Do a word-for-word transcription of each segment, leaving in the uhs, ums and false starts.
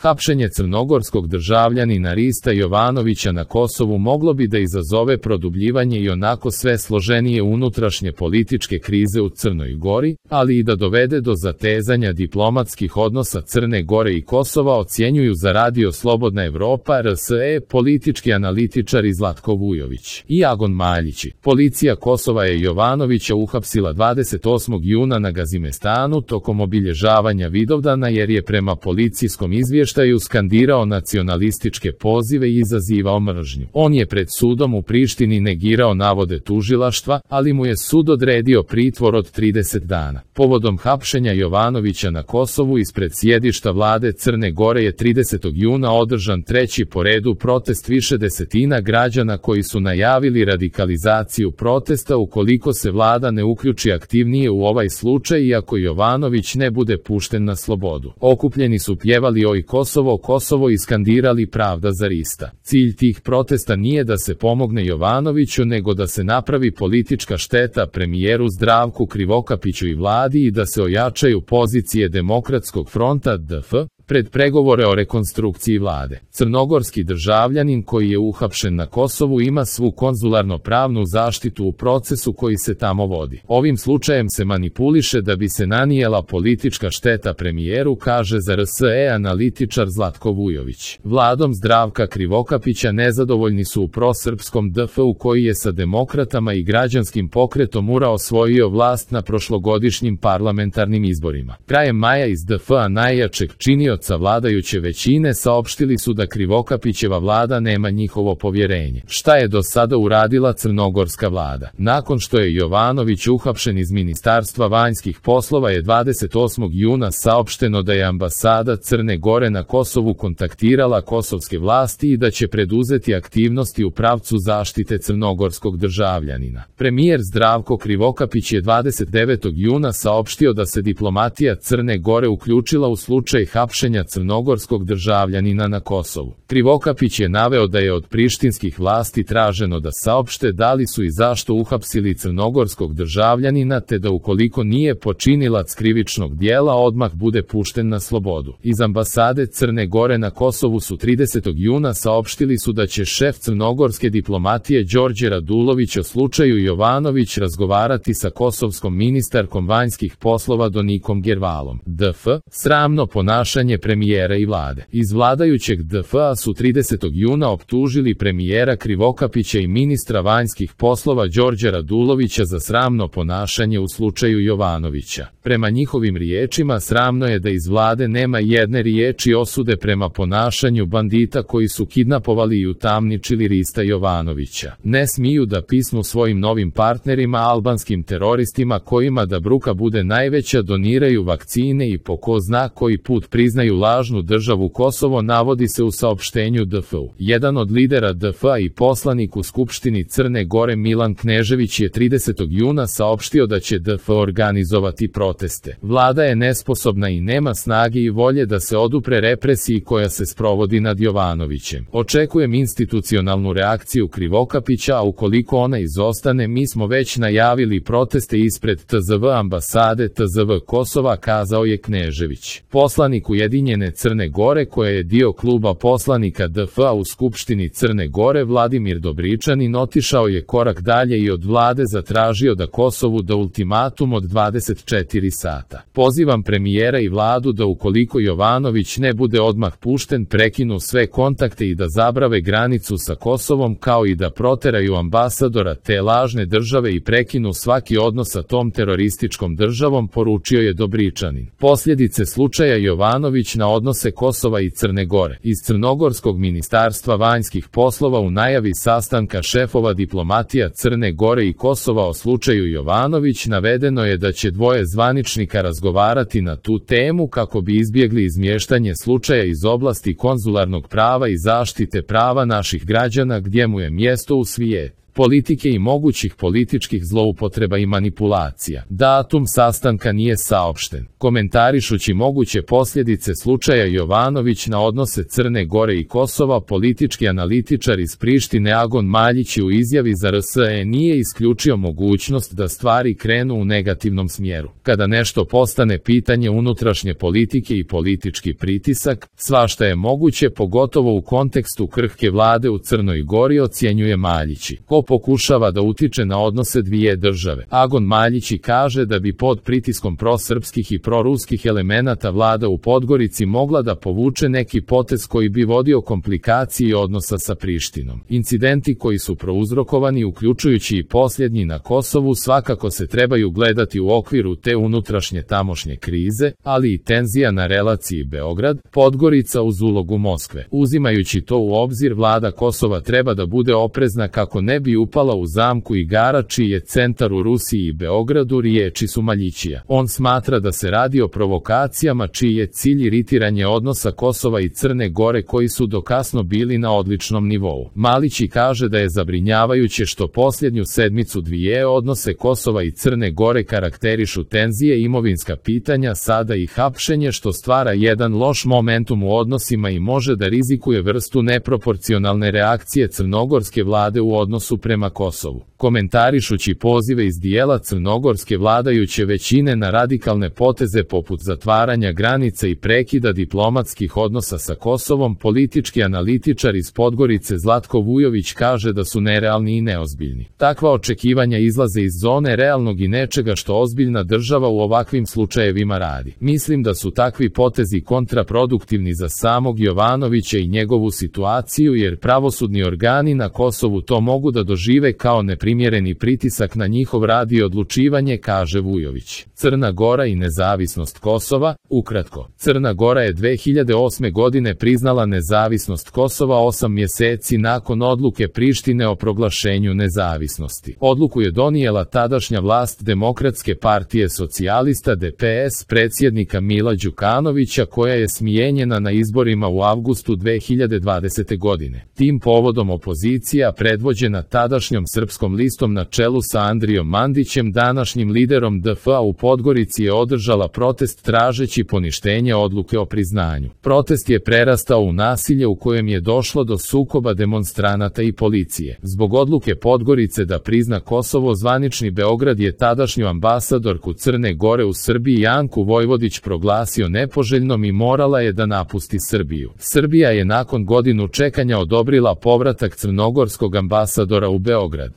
Hapšenje crnogorskog državljanina Rista Jovanovića na Kosovu moglo bi da izazove produbljivanje i onako sve složenije unutrašnje političke krize u Crnoj Gori, ali i da dovede do zatezanja diplomatskih odnosa Crne Gore i Kosova, ocjenjuju za Radio Slobodna Evropa R S E politički analitičari Zlatko Vujović i Agon Maljići. Policija Kosova je Jovanovića uhapsila dvadeset osmog juna na Gazimestanu tokom obilježavanja Vidovdana jer je prema policijskom izvještaju skandirao nacionalističke pozive i izazivao mržnju. On je pred sudom u Prištini negirao navode tužilaštva, ali mu je sud odredio pritvor od trideset dana. Povodom hapšenja Jovanovića na Kosovu ispred sjedišta vlade Crne Gore je tridesetog juna održan treći po redu protest više desetina građana koji su najavili radikalizaciju protesta ukoliko se vlada ne uključi aktivnije u ovaj slučaj i ako Jovanović ne bude pušten na slobodu. Okupljeni su pjevali Oj Kosovo, Kosovo i skandirali Pravda za Rista. Cilj tih protesta nije da se pomogne Jovanoviću nego da se napravi politička šteta premijeru Zdravku Krivokapiću i vladi i da se ojačaju pozicije Demokratskog fronta D F pred pregovore o rekonstrukciji vlade. Crnogorski državljanin koji je uhapšen na Kosovu ima svu konzularno-pravnu zaštitu u procesu koji se tamo vodi. Ovim slučajem se manipuliše da bi se nanijela politička šteta premijeru, kaže za R S E analitičar Zlatko Vujović. Vladom Zdravka Krivokapića nezadovoljni su u prosrpskom D F u koji je sa demokratama i građanskim pokretom U R A osvojio vlast na prošlogodišnjim parlamentarnim izborima. Krajem maja iz D F-a najjačeg činioca vladajuće većine saopštili su da Krivokapićeva vlada nema njihovo povjerenje. Šta je do sada uradila crnogorska vlada? Nakon što je Jovanović uhapšen iz Ministarstva vanjskih poslova je dvadeset osmog juna saopšteno da je ambasada Crne Gore na Kosovu kontaktirala kosovske vlasti i da će preduzeti aktivnosti u pravcu zaštite crnogorskog državljanina. Premijer Zdravko Krivokapić je dvadeset devetog juna saopštio da se diplomatija Crne Gore uključila u slučaj hapšenja crnogorskog državljanina na Kosovu. Krivokapić je naveo da je od prištinskih vlasti traženo da saopšte da li su i zašto uhapsili crnogorskog državljanina te da ukoliko nije počinilac krivičnog dijela odmah bude pušten na slobodu. Iz ambasade Crne Gore na Kosovu su tridesetog juna saopštili su da će šef crnogorske diplomatije Đorđe Radulović o slučaju Jovanović razgovarati sa kosovskom ministarkom vanjskih poslova Donikom Gervalom. D F, sramno ponašanje premijera i vlade. Iz vladajućeg D F-a su tridesetog juna optužili premijera Krivokapića i ministra vanjskih poslova Đorđa Radulovića za sramno ponašanje u slučaju Jovanovića. Prema njihovim riječima sramno je da iz vlade nema jedne riječi osude prema ponašanju bandita koji su kidnapovali i utamničili Rista Jovanovića. Ne smiju da pismu svojim novim partnerima albanskim teroristima kojima da bruka bude najveća doniraju vakcine i po ko zna koji put priznaju lažnu državu Kosovo, navodi se u saopštenju D F-u. Jedan od lidera D F-a i poslanik u Skupštini Crne Gore Milan Knežević je tridesetog juna saopštio da će D F organizovati proteste. Vlada je nesposobna i nema snage i volje da se odupre represiji koja se sprovodi nad Jovanovićem. Očekujem institucionalnu reakciju Krivokapića, a ukoliko ona izostane mi smo već najavili proteste ispred T Z V ambasade T Z V Kosova, kazao je Knežević. Poslanik Ujedinjene Crne Gore koja je dio kluba poslanika D F-a u Skupštini Crne Gore Vladimir Dobričanin otišao je korak dalje i od vlade zatražio da Kosovu da ultimatum od dvadeset četiri sata. Pozivam premijera i vladu da ukoliko Jovanović ne bude odmah pušten prekinu sve kontakte i da zabrave granicu sa Kosovom kao i da proteraju ambasadora te lažne države i prekinu svaki odnos sa tom terorističkom državom, poručio je Dobričanin. Posljedice slučaja Jovanović na odnose Kosova i Crne Gore. Iz Crnogorskog ministarstva vanjskih poslova u najavi sastanka šefova diplomatija Crne Gore i Kosova o slučaju Jovanović navedeno je da će dvoje zvaničnika razgovarati na tu temu kako bi izbjegli izmještanje slučaja iz oblasti konzularnog prava i zaštite prava naših građana gdje mu je mjesto u svijetu. politike i mogućih političkih zloupotreba i manipulacija. Datum sastanka nije saopšten. Komentarišući moguće posljedice slučaja Jovanović na odnose Crne Gore i Kosova, politički analitičar iz Prištine Agon Maljić u izjavi za R S E nije isključio mogućnost da stvari krenu u negativnom smjeru. Kada nešto postane pitanje unutrašnje politike i politički pritisak, svašta je moguće, pogotovo u kontekstu krhke vlade u Crnoj Gori, ocjenjuje Maljići. Ko pokušava da utiče na odnose dvije države? Agon Maljići kaže da bi pod pritiskom prosrpskih i proruskih elemenata vlada u Podgorici mogla da povuče neki potez koji bi vodio komplikaciji odnosa sa Prištinom. Incidenti koji su prouzrokovani, uključujući i posljednji na Kosovu, svakako se trebaju gledati u okviru te unutrašnje tamošnje krize, ali i tenzija na relaciji Beograd-Podgorica uz ulogu Moskve. Uzimajući to u obzir, vlada Kosova treba da bude oprezna kako ne bi upala u zamku igara čiji je centar u Rusiji i Beogradu, riječi su Maljićija. On smatra da se radi o provokacijama čiji je cilj iritiranje odnosa Kosova i Crne Gore koji su dokasno bili na odličnom nivou. Maljići kaže da je zabrinjavajuće što posljednju sedmicu dvije odnose Kosova i Crne Gore karakterišu tenzije, imovinska pitanja, sada i hapšenje, što stvara jedan loš momentum u odnosima i može da rizikuje vrstu neproporcionalne reakcije crnogorske vlade u odnosu prema Kosovu. Komentarišući pozive iz dijela crnogorske vladajuće većine na radikalne poteze poput zatvaranja granica i prekida diplomatskih odnosa sa Kosovom, politički analitičar iz Podgorice Zlatko Vujović kaže da su nerealni i neozbiljni. Takva očekivanja izlaze iz zone realnog i nečega što ozbiljna država u ovakvim slučajevima radi. Mislim da su takvi potezi kontraproduktivni za samog Jovanovića i njegovu situaciju, jer pravosudni organi na Kosovu to mogu da dožive kao neprimjereni pritisak na njihov rad i odlučivanje, kaže Vujović. Crna Gora i nezavisnost Kosova. Ukratko, Crna Gora je dve hiljade osme godine priznala nezavisnost Kosova osam mjeseci nakon odluke Prištine o proglašenju nezavisnosti. Odluku je donijela tadašnja vlast Demokratske partije socijalista D P S predsjednika Mila Đukanovića, koja je smijenjena na izborima u avgustu dve hiljade dvadesete godine. Tim povodom opozicija, predvođena tadašnjom Srpskom listom na čelu sa Andrijom Mandićem, današnjim liderom D F A u Podgorici, je održala protest tražeći poništenje odluke o priznanju. Protest je prerastao u nasilje u kojem je došlo do sukoba demonstranata i policije. Zbog odluke Podgorice da prizna Kosovo, zvanični Beograd je tadašnju ambasadorku Crne Gore u Srbiji Janku Vojvodić proglasio nepoželjnom i morala je da napusti Srbiju. Srbija je nakon godinu čekanja odobrila povratak crnogorskog ambasadora u Beograd.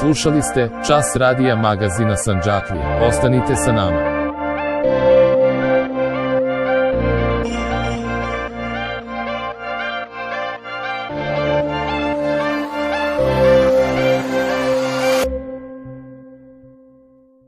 Slušali ste Čas radija magazina Sandžaklija. Ostanite sa nama.